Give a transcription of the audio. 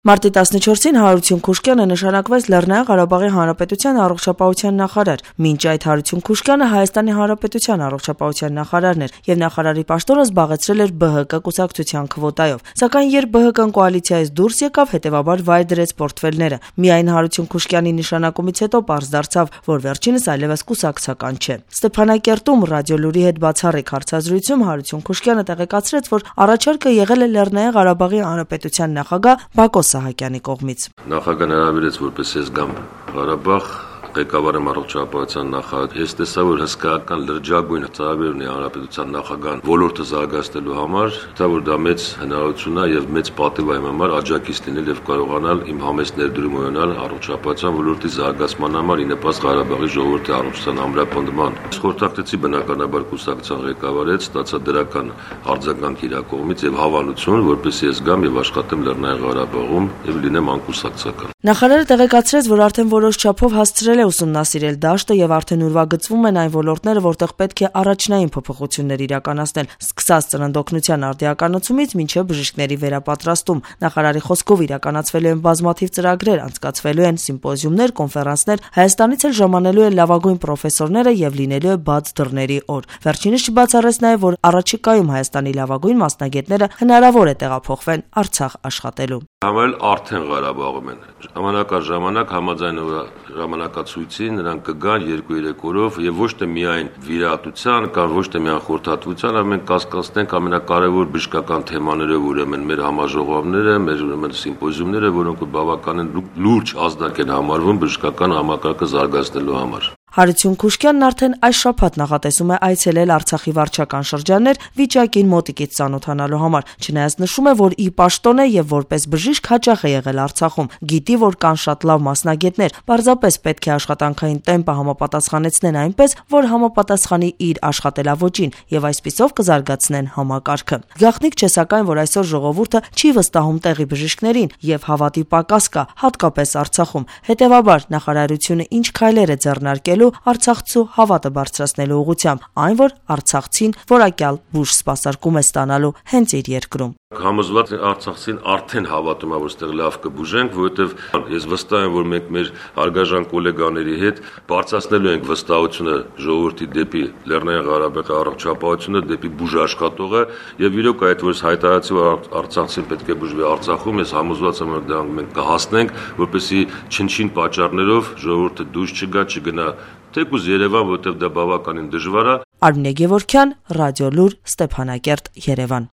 Մարտի 14-ին Հարություն Քուշկյանը նշանակվեց Լեռնային Ղարաբաղի Հանրապետության առողջապահության նախարար, մինչ այդ Հարություն Քուշկյանը Հայաստանի Հանրապետության առողջապահության նախարարն էր եւ նախարարի պաշտոնը զբաղեցրել էր ԲՀԿ կուսակցության քվոտայով, սակայն երբ ԲՀԿ-ն կոալիցիայից դուրս եկավ, հետեւաբար վայր դրեց պորտֆելները։ Միայն Հարություն Քուշկյանի նշանակումից հետո պարզ դարձավ, որ վերջինս այլևս կուսակցական չէ։ Ստեփանակերտում Ռադիոլուրի հետ բացառիկ հարցազրույցում Հարություն Քուշկյանը տեղեկացրեց, որ առաջարկը եղել է Լեռնային Ղարաբաղի Հանրապետության նախագահ Բակո Սահակյանի կողմից։ Նախագահն հրավիրեց, որպես ես գամ Ղարաբաղ, ղեկավարը առողջապահության նախարար, ես տեսա, որ հսկայական լրջագույն ծրագիր ունի հանրապետության նախագահան ոլորտը զարգացնելու համար, դա որ դա մեծ հնարավորություն է եւ մեծ պատիվ է իմ համար աջակից լինել եւ կարողանալ իմ համեստ ներդրում ունենալ առողջապահության ոլորտի զարգացման համար, ի նպաստ Ղարաբաղի ժողովրդի առողջության ամրապնդման։ Խորհրդակցի բնականաբար կուսակցության ղեկավարեց, ստացա դրական արձագանք իր կողմից եւ հավանություն, որպես ես գամ եւ աշխատեմ Լեռնային Ղարաբաղում եւ լինեմ անկուսակցական։ Նախարարը տեղեկացրեց, որ արդեն որոշ չափով հասցրել է ուսումնասիրել դաշտը եւ արդեն ուրվագծվում են այն ոլորտները, որտեղ պետք է առաջնային փոփոխություններ իրականացնել, սկսած ծննդօգնության արդիականացումից մինչեւ բժիշկների վերապատրաստում։ Նախարարի խոսքով իրականացվելու են բազմաթիվ ծրագրեր, անցկացվելու են սիմպոզիումներ, կոնֆերանսներ, Հայաստանից էլ ժամանելու են լավագույն պրոֆեսորները եւ լինելու է բաց դռների օր։ Վերջինս չբացառեց նաեւ, որ առաջիկայում Հայաստանի լավագույն մասնագետները հնարավոր է տեղափոխվեն Արցախ աշխատելու։ Համել արդեն Ղարաբաղում են։ Ժամանակ առ ժամանակ համաձայնող ժամանակացույցի նրանք կգան 2-3 օրով եւ ոչ թե միայն վիրահատության կամ ոչ թե միայն խորհրդատվության, այլ մենք կասկածենք ամենակարևոր բժշկական թեմաներով, ուրեմն մեր համաժողովները, մեր ուրեմն սիմպոզիումները, որոնք բավականին լուրջ ազդակ են համարվում բժշկական համակարգը զարգացնելու համար։ Հարություն Քուշկյանն արդեն այս շաբաթ նախատեսում է այցելել Արցախի վարչական շրջաններ վիճակին մոտիկից ծանոթանալու համար, չնայած նշում է, որ ի պաշտոն է եւ որպես բժիշկ հաճախ է եղել Արցախում, գիտի, որ կան շատ լավ մասնագետներ, պարզապես պետք է աշխատանքային տեմպը համապատասխանեցնեն այնպես, որ համապատասխանի իր աշխատելավոճին եւ այսպիսով կզարգացնեն համակարգը։ Գաղտնիք չէ սակայն, որ այսօր ժողովուրդը չի վստահում տեղի բժիշկներին եւ հավատի պակաս կա, հատկապես Արցախում։ Հետեւաբար նախարարությունը ինչ քայլեր է ձեռնարկել արցախցու հավատը բարձրացնելու ուղղությամբ, այն որ արցախցին որակյալ բուժ սպասարկում է ստանալու հենց իր երկրում։ Համոզված արցախցին արդեն հավատում է, որ այստեղ լավ կբուժենք, որովհետև ես վստահ եմ, որ մենք մեր հարգաժան գոլեգաների հետ բարձրացնելու ենք վստահությունը ժողովրդի դեպի Լեռնային Ղարաբաղի առողջապահությունը, դեպի բուժաշխատողը եւ իրոք այդ որ հայտարարեցի, որ արցախցին պետք է բուժվի Արցախում, ես համոզված եմ, որ դրանք մենք կհասնենք, որպեսզի չնչին պատճառներով ժողովուրդը դուրս չգնա թեկուզ Երևան, որտեղ դա բավականին դժվար է։ Արմինե Գևորգյան, Ռադիոլուր, Ստեփանակերտ, Երևան։